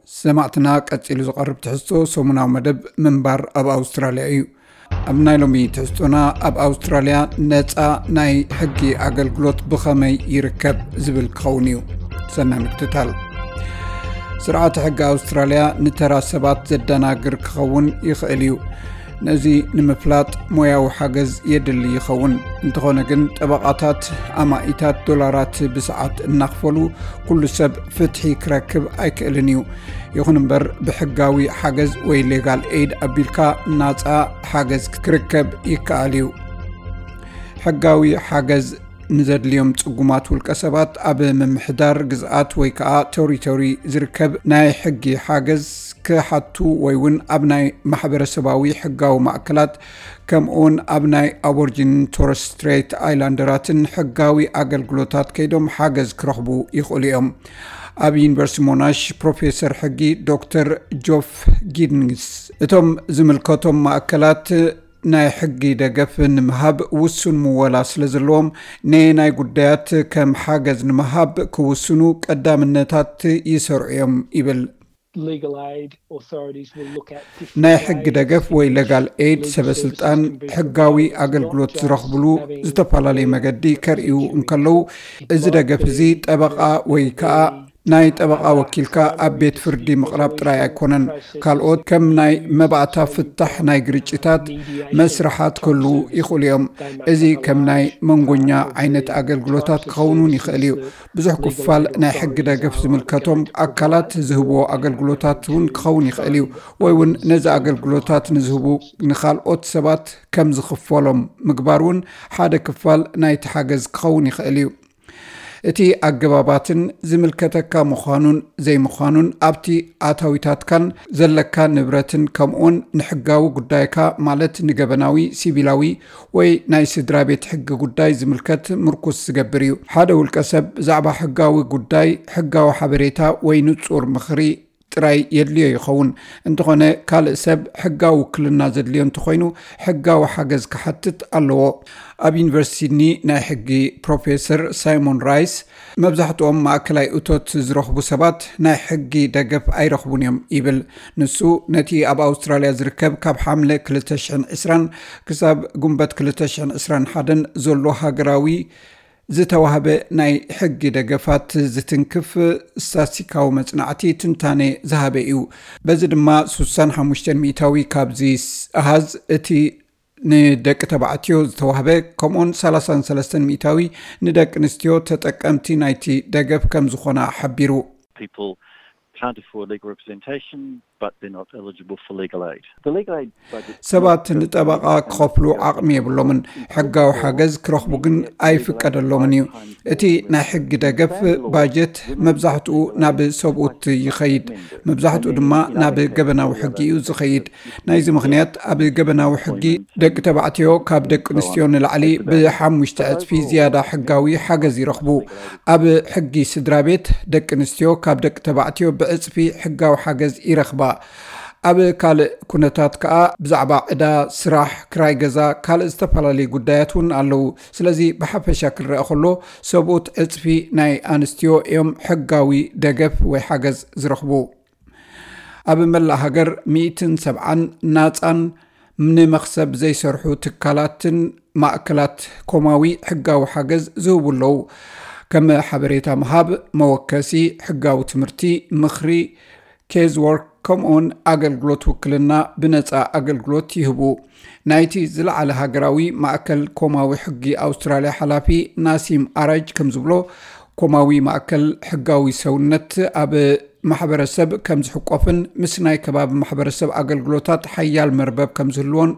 ሰማዕትና፣ ቀጺሉ ዝቐርብ ትሕዝቶ ሰሙናዊ መደብ ምንባር ኣብ ኣውስትራልያ እዩ። ኣብ ናይ ሎሚ ትሕዝቶና፣ ኣብ ኣውስትራልያ ነጻ ናይ ሕጊ ኣገልግሎት ብኸመይ ይርከብ ዝብል ክኸውን እዩ። ሰናይ ምክትታል። ስርዓተ ሕጊ ኣውስትራልያ ንተራ ሰባት ዘደናግር ክኸውን ይኽእል እዩ። ነዚ ንምፍላጥ ሞያዊ ሓገዝ የድሊ ይኸውን። እንተኾነ ግን፣ ጠበቓታት ኣማኢታት ዶላራት ብሰዓት እናኽፈሉ ኩሉ ሰብ ፍትሒ ክረክብ ኣይክእልን እዩ። ይኹን እምበር፣ ብሕጋዊ ሓገዝ ወይ ሌጋል ኤይድ ኣቢልካ ናጻ ሓገዝ ክርከብ ይከኣል እዩ። ሕጋዊ ሓገዝ ንዘድልዮም ጽጉማት ውልቀ ሰባት፣ ኣብ ምምሕዳር ግዝኣት ወይ ከኣ ቶሪቶሪ ዝርከብ ናይ ሕጊ ሓገዝ ክሓቱ ወይ እውን ኣብ ናይ ማሕበረሰባዊ ሕጋዊ ማእከላት፣ ከምኡውን ኣብ ናይ ኣቦርጂን ቶረስ ስትሬት ኣይላንደራትን ሕጋዊ ኣገልግሎታት ከይዶም ሓገዝ ክረኽቡ ይኽእሉ እዮም። ኣብ ዩኒቨርሲቲ ሞናሽ ፕሮፌሰር ሕጊ ዶክተር ጆፍ ጊድንግስ፣ እቶም ዝምልከቶም ማእከላት ናይ ሕጊ ደገፍ ንምሃብ ውሱን ምወላ ስለ ዘለዎም፣ ነየናይ ጉዳያት ከም ሓገዝ ንምሃብ ክውስኑ ቀዳምነታት ይሰርዑ እዮም ይብል። Legal aid authorities will look at different ናይ ሕጊ ways ደገፍ ወይ ሌጋል ኤይድ ሰበ ስልጣን ሕጋዊ ኣገልግሎት ዝረኽብሉ ዝተፈላለዩ መገዲ ከርእዩ እንከለዉ፣ እዚ ደገፍ እዚ ጠበቓ ወይ ከዓ ናይ ጠበቓ ወኪልካ ኣብ ቤት ፍርዲ ምቕራብ ጥራይ ኣይኮነን። ካልኦት ከም ናይ መባእታ ፍታሕ ናይ ግርጭታት መስርሓት ክህልዉ ይኽእሉ እዮም። እዚ ከም ናይ መንጎኛ ዓይነት ኣገልግሎታት ክኸውን እውን ይኽእል እዩ። ብዙሕ ክፋል ናይ ሕጊ ደገፍ ዝምልከቶም ኣካላት ዝህብዎ ኣገልግሎታት እውን ክኸውን ይኽእል እዩ። ወይ እውን ነዚ ኣገልግሎታት ንዝህቡ ንኻልኦት ሰባት ከም ዝኽፈሎም ምግባር እውን ሓደ ክፋል ናይቲ ሓገዝ ክኸውን ይኽእል እዩ። እቲ ኣገባባትን ዝምልከተካ ምዃኑን ዘይምዃኑን፣ ኣብቲ ኣታዊታትካን ዘለካ ንብረትን፣ ከምኡውን ንሕጋዊ ጉዳይካ፣ ማለት ንገበናዊ፣ ሲቪላዊ ወይ ናይ ስድራ ቤት ሕጊ ጉዳይ ዝምልከት ምርኩስ ዝገብር እዩ። ሓደ ውልቀ ሰብ ብዛዕባ ሕጋዊ ጉዳይ ሕጋዊ ሓበሬታ ወይ ንጹር ምኽሪ ጥራይ የድልዮ ይኸውን። እንተኾነ፣ ካልእ ሰብ ሕጋዊ ውክልና ዘድልዮ እንተኾይኑ፣ ሕጋዊ ሓገዝ ክሓትት ኣለዎ። ኣብ ዩኒቨርሲቲ ሲድኒ ናይ ሕጊ ፕሮፌሰር ሳይሞን ራይስ፣ መብዛሕትኦም ማእከላይ እቶት ዝረኽቡ ሰባት ናይ ሕጊ ደገፍ ኣይረኽቡን እዮም ይብል። ንሱ፣ ነቲ ኣብ ኣውስትራልያ ዝርከብ ካብ ሓምለ ክልተ ሽሕን ዕስራን ክሳብ ጉንበት ክልተ ሽሕን ዕስራን ሓደን ዘሎ ሃገራዊ ዝተዋህበ ናይ ሕጊ ደገፋት ዝትንክፍ ስታትስቲካዊ መጽናዕቲ ትንታነ ዝሃበ እዩ። በዚ ድማ፣ ስሳን ሓሙሽተን ሚእታዊ ካብዚ ኣሃዝ፣ እቲ ንደቂ ተባዕትዮ ዝተዋህበ፣ ከምኡውን ሰላሳን ሰለስተን ሚእታዊ ንደቂ ኣንስትዮ ተጠቀምቲ ናይቲ ደገፍ ከም ዝኾና ሓቢሩ። People can't afford legal representation, but they're not eligible for legal aid. The legal aid budget ሰባት ንጠበቓ ክኸፍሉ ዓቕሚ የብሎምን። ሕጋዊ ሓገዝ ክረኽቡ ግን ኣይፍቀደሎምን እዩ። እቲ ናይ ሕጊ ደገፍ ባጀት መብዛሕትኡ ናብ ሰብኡት ይኸይድ፣ መብዛሕትኡ ድማ ናብ ገበናዊ ሕጊ እዩ ዝኸይድ። ናይዚ ምኽንያት፣ ኣብ ገበናዊ ሕጊ ደቂ ተባዕትዮ ካብ ደቂ ኣንስትዮ ንላዕሊ ብሓሙሽተ ዕጽፊ ዝያዳ ሕጋዊ ሓገዝ ይረኽቡ። ኣብ ሕጊ ስድራ ቤት፣ ደቂ ኣንስትዮ ካብ ደቂ ተባዕትዮ ብዕጽፊ ሕጋዊ ሓገዝ ይረኽባ። ኣብ ካልእ ኩነታት ከኣ፣ ብዛዕባ ዕዳ፣ ስራሕ፣ ክራይ ገዛ፣ ካልእ ዝተፈላለዩ ጉዳያት እውን ኣለዉ። ስለዚ፣ ብሓፈሻ ክረአ ከሎ፣ ሰብኡት ዕጽፊ ናይ ኣንስትዮ እዮም ሕጋዊ ደገፍ ወይ ሓገዝ ዝረኽቡ። ኣብ መላእ ሃገር ሚእትን ሰብዓን ናጻን ንመኽሰብ ዘይሰርሑ ትካላትን ማእከላት ኮማዊ ሕጋዊ ሓገዝ ዝህቡ ኣለዉ። ከም ሓበሬታ ምሃብ፣ መወከሲ፣ ሕጋዊ ትምህርቲ፣ ምኽሪ፣ ኬዝ ወርክ፣ ከምኡውን ኣገልግሎት ውክልና ብነጻ ኣገልግሎት ይህቡ። ናይቲ ዝለዓለ ሃገራዊ ማእከል ኮማዊ ሕጊ ኣውስትራልያ ሓላፊ ናሲም ኣራጅ ከም ዝብሎ፣ ኮማዊ ማእከል ሕጋዊ ሰውነት ኣብ ማሕበረሰብ ከም ዝሕቆፍን ምስ ናይ ከባቢ ማሕበረሰብ ኣገልግሎታት ሓያል መርበብ ከም ዝህልዎን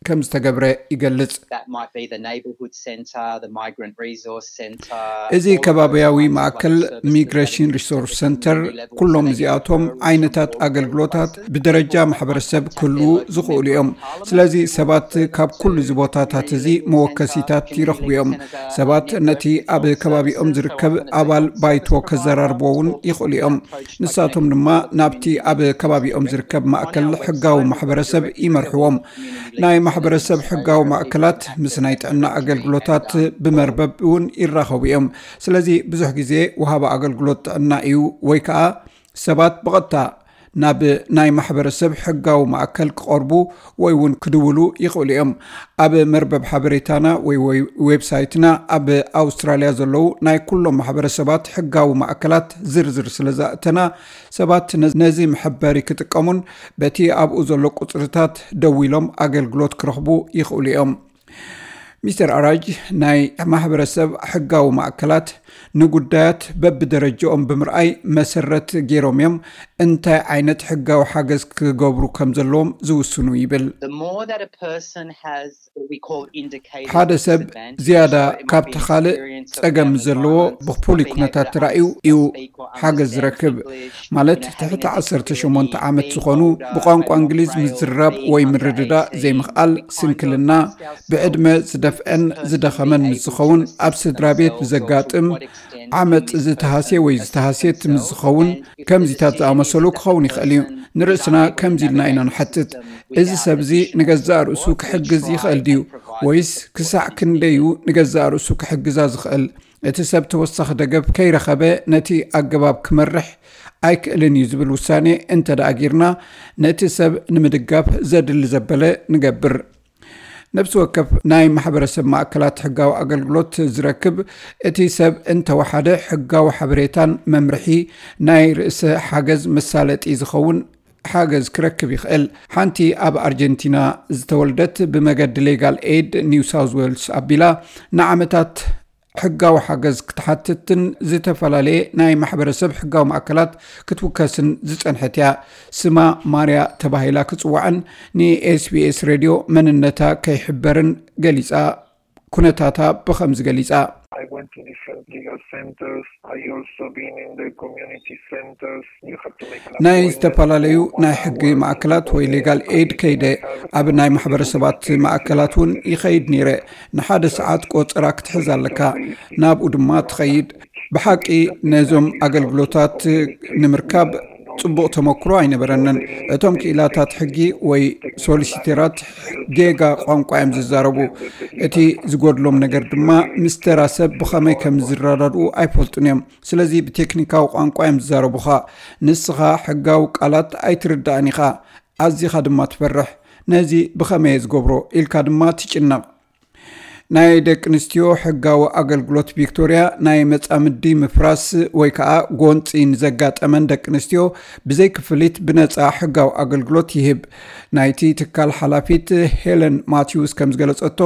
ከም ዝተገብረ ይገልጽ። That might be the neighbourhood centre, the migrant resource centre, እዚ ከባቢያዊ ማእከል ሚግሬሽን ሪሶርስ ሰንተር፣ ኩሎም እዚኣቶም ዓይነታት ኣገልግሎታት ብደረጃ ማሕበረሰብ ክህልዉ ዝኽእሉ እዮም። ስለዚ ሰባት ካብ ኩሉ እዚ ቦታታት እዚ መወከሲታት ይረኽቡ እዮም። ሰባት ነቲ ኣብ ከባቢኦም ዝርከብ ኣባል ባይቶ ከዘራርብዎ እውን ይኽእሉ እዮም። ንሳቶም ድማ ናብቲ ኣብ ከባቢኦም ዝርከብ ማእከል ሕጋዊ ማሕበረሰብ ይመርሕዎም። ናይ ማሕበረሰብ ሕጋዊ ማእከላት ምስ ናይ ጥዕና ኣገልግሎታት ብመርበብ እውን ይራኸቡ እዮም። ስለዚ ብዙሕ ግዜ ወሃቢ ኣገልግሎት ጥዕና እዩ ወይ ከኣ ሰባት ብቐጥታ ናብ ናይ ማሕበረሰብ ሕጋዊ ማእከል ክቐርቡ ወይ እውን ክድውሉ ይኽእሉ እዮም። ኣብ መርበብ ሓበሬታና ወይ ወይ ዌብሳይትና ኣብ ኣውስትራልያ ዘለዉ ናይ ኩሎም ማሕበረሰባት ሕጋዊ ማእከላት ዝርዝር ስለ ዘእተና፣ ሰባት ነ- ነዚ መሐበሪ ክጥቀሙን በቲ ኣብኡ ዘሎ ቁጽርታት ደዊሎም ኣገልግሎት ክረኽቡ ይኽእሉ እዮም። ሚስተር ኣራጅ፣ ናይ ማሕበረሰብ ሕጋዊ ማእከላት ንጉዳያት በብደረጃኦም ብምርኣይ መሰረት ገይሮም እዮም እንታይ ዓይነት ሕጋዊ ሓገዝ ክገብሩ ከም ዘለዎም ዝውስኑ ይብል። The more that a person has what we call indicated ሓደ ሰብ disadvantage, ዝያዳ so it might ካብቲ be an ካልእ experience of ጸገም family ዘለዎ violence, ብፍሉይ being able ኩነታት to ተራእዩ ask, እዩ speak or ሓገዝ understand ዝረክብ። English, ማለት you know, ትሕቲ having a ዓሰርተ disability, ሸሞንተ ዓመት being ዝኾኑ older, ብቋንቋ having lost እንግሊዝ rails, ምዝራብ being ወይ ምርድዳእ underage, ዘይምኽኣል this kind of ስንክልና ask ourselves, ብዕድመ ዝደፍአን ዝደኸመን ምስ ዝኸውን ኣብ ስድራ ቤት ብዘጋጥም ዓመፅ ዝተሃስየ ወይ ዝተሃስየት ምስ ዝኸውን ከምዚታት ዝኣመሰሉ ክኸውን ይኽእል እዩ። ንርእስና ከምዚ ኢልና ኢና ንሓትት፣ እዚ ሰብ እዚ ንገዛእ ርእሱ ክሕግዝ ይኽእል ድዩ? ወይስ ክሳዕ ክንደይ እዩ ንገዛእ ርእሱ ክሕግዛ ዝኽእል? እቲ ሰብ ተወሳኺ ደገፍ ከይረኸበ ነቲ ኣገባብ ክመርሕ ኣይክእልን እዩ ዝብል ውሳኔ እንተ ደኣ ጌርና፣ ነቲ ሰብ ንምድጋፍ ዘድሊ ዘበለ ንገብር። ነፍሲ ወከፍ ናይ ማሕበረሰብ ማእከላት ሕጋዊ ኣገልግሎት ዝረክብ፣ እቲ ሰብ እንተወሓደ ሕጋዊ ሓበሬታን መምርሒ ናይ ርእሰ ሓገዝ መሳለጢ ዝኸውን ሓገዝ ክረክብ ይኽእል። ሓንቲ ኣብ ኣርጀንቲና ዝተወልደት ብመገዲ ሌጋል ኤድ ኒው ሳውዝ ዌልስ ኣቢላ ንዓመታት ሕጋዊ ሓገዝ ክትሓትትን ዝተፈላለየ ናይ ማሕበረሰብ ሕጋዊ ማእከላት ክትውከስን ዝጸንሐት እያ። ስማ ማርያ ተባሂላ ክጽዋዕን ንኤስቢኤስ ሬድዮ መንነታ ከይሕበርን ገሊጻ። ኩነታታ ብኸምዚ ገሊጻ። I went to different legal centers. I also been in the community centers. You have to make an ናይ appointment. ዝተፈላለዩ ናይ ሕጊ ማእከላት ወይ ሌጋል ኤድ ከይደ ኣብ ናይ ማሕበረሰባት ማእከላት እውን ይኸይድ ነይረ። ንሓደ ሰዓት ቆጸራ ክትሕዝ ኣለካ፣ ናብኡ ድማ ትኸይድ። ብሓቂ ነዞም ኣገልግሎታት ንምርካብ ጽቡቕ ተመክሮ ኣይነበረንን። እቶም ክኢላታት ሕጊ ወይ ሶሊሲተራት ጌጋ ቋንቋ እዮም ዝዛረቡ። እቲ ዝጎድሎም ነገር ድማ ምስ ተራ ሰብ ብኸመይ ከም ዝረዳድኡ ኣይፈልጡን እዮም። ስለዚ ብቴክኒካዊ ቋንቋ እዮም ዝዛረቡኻ። ንስኻ ሕጋዊ ቃላት ኣይትርዳእን ኢኻ፣ ኣዚኻ ድማ ትፈርሕ። ነዚ ብኸመይ እየ ዝገብሮ ኢልካ ድማ ትጭነቕ። ናይ ደቂ ኣንስትዮ ሕጋዊ ኣገልግሎት ቪክቶርያ ናይ መጻምዲ ምፍራስ ወይ ከዓ ጎንፂ ንዘጋጠመን ደቂ ኣንስትዮ ብዘይ ክፍሊት ብነፃ ሕጋዊ ኣገልግሎት ይህብ። ናይቲ ትካል ሓላፊት ሄለን ማቲውስ ከም ዝገለጸቶ፣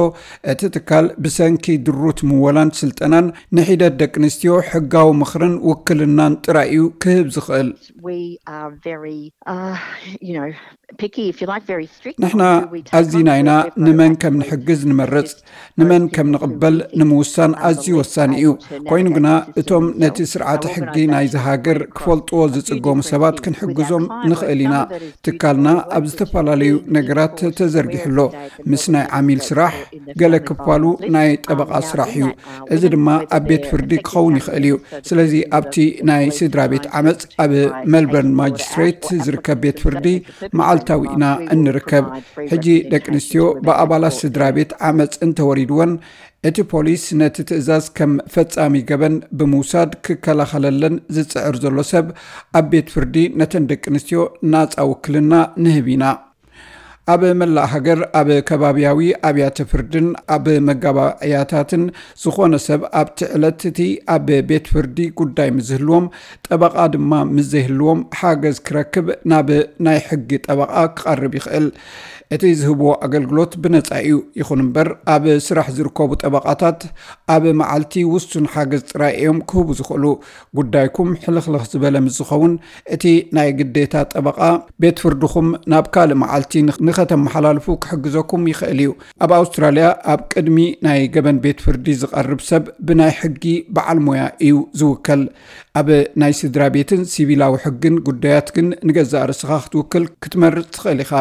እቲ ትካል ብሰንኪ ድሩት ምወላን ስልጠናን ንሒደት ደቂ ኣንስትዮ ሕጋዊ ምኽርን ውክልናን ጥራይ እዩ ክህብ ዝኽእል። We are very, uh, you know, picky, if you like, very strict. ንሕና ኣዚና ኢና ንመን ከም ንሕግዝ ንመርጽ፣ ንመን ከም ንቕበል ንምውሳን ኣዝዩ ወሳኒ እዩ። ኮይኑ ግና እቶም ነቲ ስርዓተ ሕጊ ናይዚ ሃገር ክፈልጥዎ ዝጽገሙ ሰባት ክንሕግዞም ንኽእል ኢና። ትካልና ኣብ ዝተፈላለዩ ነገራት ተዘርጊሑ ኣሎ። ምስ ናይ ዓሚል ስራሕ፣ ገለ ክፋሉ ናይ ጠበቓ ስራሕ እዩ። እዚ ድማ ኣብ ቤት ፍርዲ ክኸውን ይኽእል እዩ። ስለዚ ኣብቲ ናይ ስድራ ቤት ዓመፅ ኣብ ሜልበርን ማጅስትሬት ዝርከብ ቤት ፍርዲ መዓልታዊ ኢና እንርከብ። ሕጂ ደቂ ኣንስትዮ ብኣባላት ስድራ ቤት ዓመፅ እንተወሪድወን እቲ ፖሊስ ነቲ ትእዛዝ ከም ፈጻሚ ገበን ብምውሳድ ክከላኸለለን ዝጽዕር ዘሎ ሰብ ኣብ ቤት ፍርዲ ነተን ደቂ ኣንስትዮ ናጻ ውክልና ንህብ ኢና። ኣብ መላእ ሃገር ኣብ ከባብያዊ ኣብያተ ፍርድን ኣብ መጋባእያታትን ዝኾነ ሰብ ኣብቲ ዕለት እቲ ኣብ ቤት ፍርዲ ጉዳይ ምስ ዝህልዎም፣ ጠበቓ ድማ ምስ ዘይህልዎም ሓገዝ ክረክብ ናብ ናይ ሕጊ ጠበቓ ክቐርብ ይኽእል። እቲ ዝህብዎ ኣገልግሎት ብነጻ እዩ። ይኹን እምበር ኣብ ስራሕ ዝርከቡ ጠበቓታት ኣብ መዓልቲ ውሱን ሓገዝ ጥራይ እዮም ክህቡ ዝኽእሉ። ጉዳይኩም ሕልኽልኽ ዝበለ ምስ ዝኸውን እቲ ናይ ግዴታ ጠበቓ ቤት ፍርድኹም ናብ ካልእ መዓልቲ ንኽ- ንኸተመሓላልፉ ክሕግዘኩም ይኽእል እዩ። ኣብ ኣውስትራልያ ኣብ ቅድሚ ናይ ገበን ቤት ፍርዲ ዝቐርብ ሰብ ብናይ ሕጊ በዓል ሞያ እዩ ዝውከል። ኣብ ናይ ስድራ ቤትን ሲቪላዊ ሕግን ጉዳያት ግን ንገዛእ ርእስኻ ክትውክል ክትመርጽ ትኽእል ኢኻ።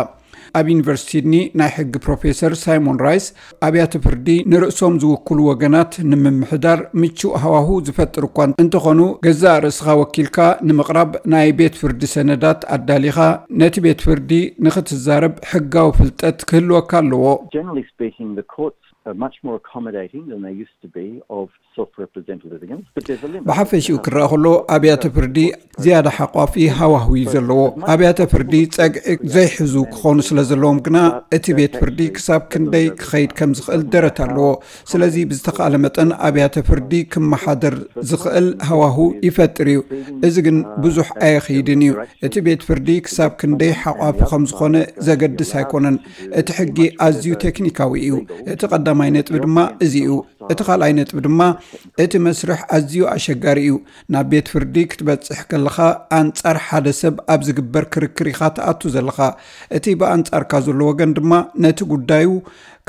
ኣብ ዩኒቨርሲቲ ሲድኒ ናይ ሕጊ ፕሮፌሰር ሳይሞን ራይስ ኣብያተ ፍርዲ ንርእሶም ዝውክሉ ወገናት ንምምሕዳር ምቹእ ሃዋሁ ዝፈጥር እኳ እንተኾኑ፣ ገዛእ ርእስኻ ወኪልካ ንምቕራብ ናይ ቤት ፍርዲ ሰነዳት ኣዳሊኻ ነቲ ቤት ፍርዲ ንኽትዛረብ ሕጋዊ ፍልጠት ክህልወካ ኣለዎ። Generally speaking, the courts are much more accommodating than they used to be of self-represented litigants, but there's a limit. ብሓፈሽኡ ክረኣ ከሎ ኣብያተ ፍርዲ ዝያዳ ሓቋፊ ሃዋህው እዩ ዘለዎ። ኣብያተ ፍርዲ ጸግዒ ዘይሕዙ ክኾኑ ስለ ዘለዎም ግና እቲ ቤት ፍርዲ ክሳብ ክንደይ ክኸይድ ከም ዝኽእል ደረት ኣለዎ። ስለዚ ብዝተኻእለ መጠን ኣብያተ ፍርዲ ክመሓደር ዝኽእል ሃዋህው ይፈጥር እዩ። እዚ ግን ብዙሕ ኣየኽይድን እዩ። እቲ ቤት ፍርዲ ክሳብ ክንደይ ሓቋፊ ከም ዝኾነ ዘገድስ ኣይኮነን። እቲ ሕጊ ኣዝዩ ቴክኒካዊ እዩ። እቲ ቀዳማይ ነጥቢ ድማ እዚ እዩ። እቲ ካልኣይ ነጥቢ ድማ እቲ መስርሕ ኣዝዩ ኣሸጋሪ እዩ። ናብ ቤት ፍርዲ ክትበጽሕ ከለኻ ኣንጻር ሓደ ሰብ ኣብ ዝግበር ክርክር ኢኻ ትኣቱ ዘለኻ። እቲ ብኣንጻርካ ዘሎ ወገን ድማ ነቲ ጉዳዩ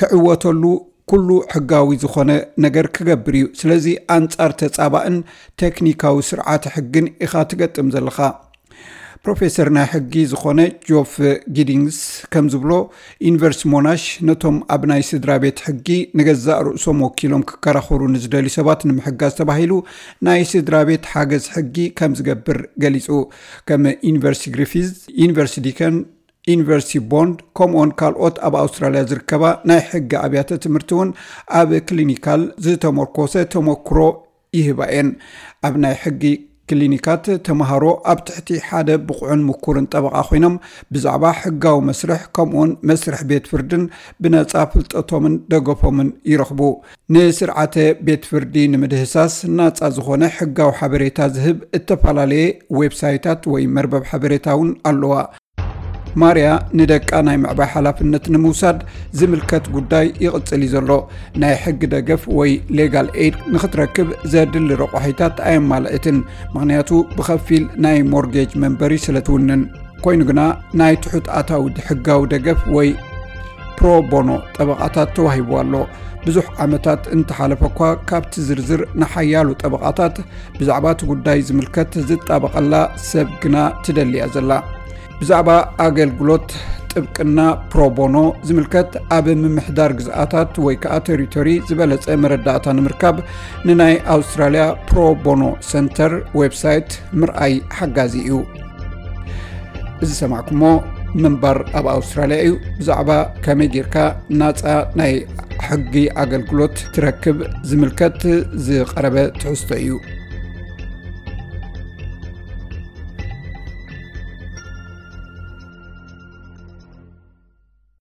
ክዕወተሉ ኩሉ ሕጋዊ ዝኾነ ነገር ክገብር እዩ። ስለዚ ኣንጻር ተጻባእን ቴክኒካዊ ስርዓተ ሕግን ኢኻ ትገጥም ዘለኻ። ፕሮፌሰር ናይ ሕጊ ዝኾነ ጆፍ ጊዲንግስ ከም ዝብሎ፣ ዩኒቨርሲቲ ሞናሽ ነቶም ኣብ ናይ ስድራ ቤት ሕጊ ንገዛእ ርእሶም ወኪሎም ክከራኸሩ ንዝደልዩ ሰባት ንምሕጋዝ ተባሂሉ ናይ ስድራ ቤት ሓገዝ ሕጊ ከም ዝገብር ገሊጹ። ከም ዩኒቨርሲቲ ግሪፊዝ፣ ዩኒቨርሲቲ ዲከን፣ ዩኒቨርሲቲ ቦንድ፣ ከምኡውን ካልኦት ኣብ ኣውስትራልያ ዝርከባ ናይ ሕጊ ኣብያተ ትምህርቲ እውን ኣብ ክሊኒካል ዝተመርኮሰ ተመክሮ ይህባ እየን። ኣብ ናይ ሕጊ ክሊኒካት ተምሃሮ ኣብ ትሕቲ ሓደ ብቑዕን ምኩርን ጠበቓ ኮይኖም ብዛዕባ ሕጋዊ መስርሕ ከምኡውን መስርሕ ቤት ፍርድን ብነጻ ፍልጠቶምን ደገፎምን ይረኽቡ። ንስርዓተ ቤት ፍርዲ ንምድህሳስ ናጻ ዝኾነ ሕጋዊ ሓበሬታ ዝህብ እተፈላለየ ዌብሳይታት ወይ መርበብ ሓበሬታ እውን ኣለዋ። ማርያ ንደቃ ናይ ምዕባይ ሓላፍነት ንምውሳድ ዝምልከት ጉዳይ ይቕጽል እዩ ዘሎ። ናይ ሕጊ ደገፍ ወይ ሌጋል ኤድ ንኽትረክብ ዘድሊ ረቋሒታት ኣየማልእትን፣ ምኽንያቱ ብኸፊል ናይ ሞርጌጅ መንበሪ ስለ ትውንን። ኮይኑ ግና ናይ ትሑት ኣታዊ ሕጋዊ ደገፍ ወይ ፕሮ ቦኖ ጠበቓታት ተዋሂቡ ኣሎ። ብዙሕ ዓመታት እንተሓለፈ እኳ ካብቲ ዝርዝር ንሓያሉ ጠበቓታት ብዛዕባ እቲ ጉዳይ ዝምልከት ዝጣበቐላ ሰብ ግና ትደልያ ዘላ። ብዛዕባ ኣገልግሎት ጥብቅና ፕሮቦኖ ዝምልከት ኣብ ምምሕዳር ግዝኣታት ወይ ከዓ ቴሪቶሪ ዝበለጸ መረዳእታ ንምርካብ ንናይ ኣውስትራልያ ፕሮቦኖ ሰንተር ዌብሳይት ምርኣይ ሓጋዚ እዩ። እዚ ሰማዕኩሞ ምንባር ኣብ ኣውስትራልያ እዩ። ብዛዕባ ከመይ ጌርካ ናፃ ናይ ሕጊ ኣገልግሎት ትረክብ ዝምልከት ዝቐረበ ትሕዝቶ እዩ።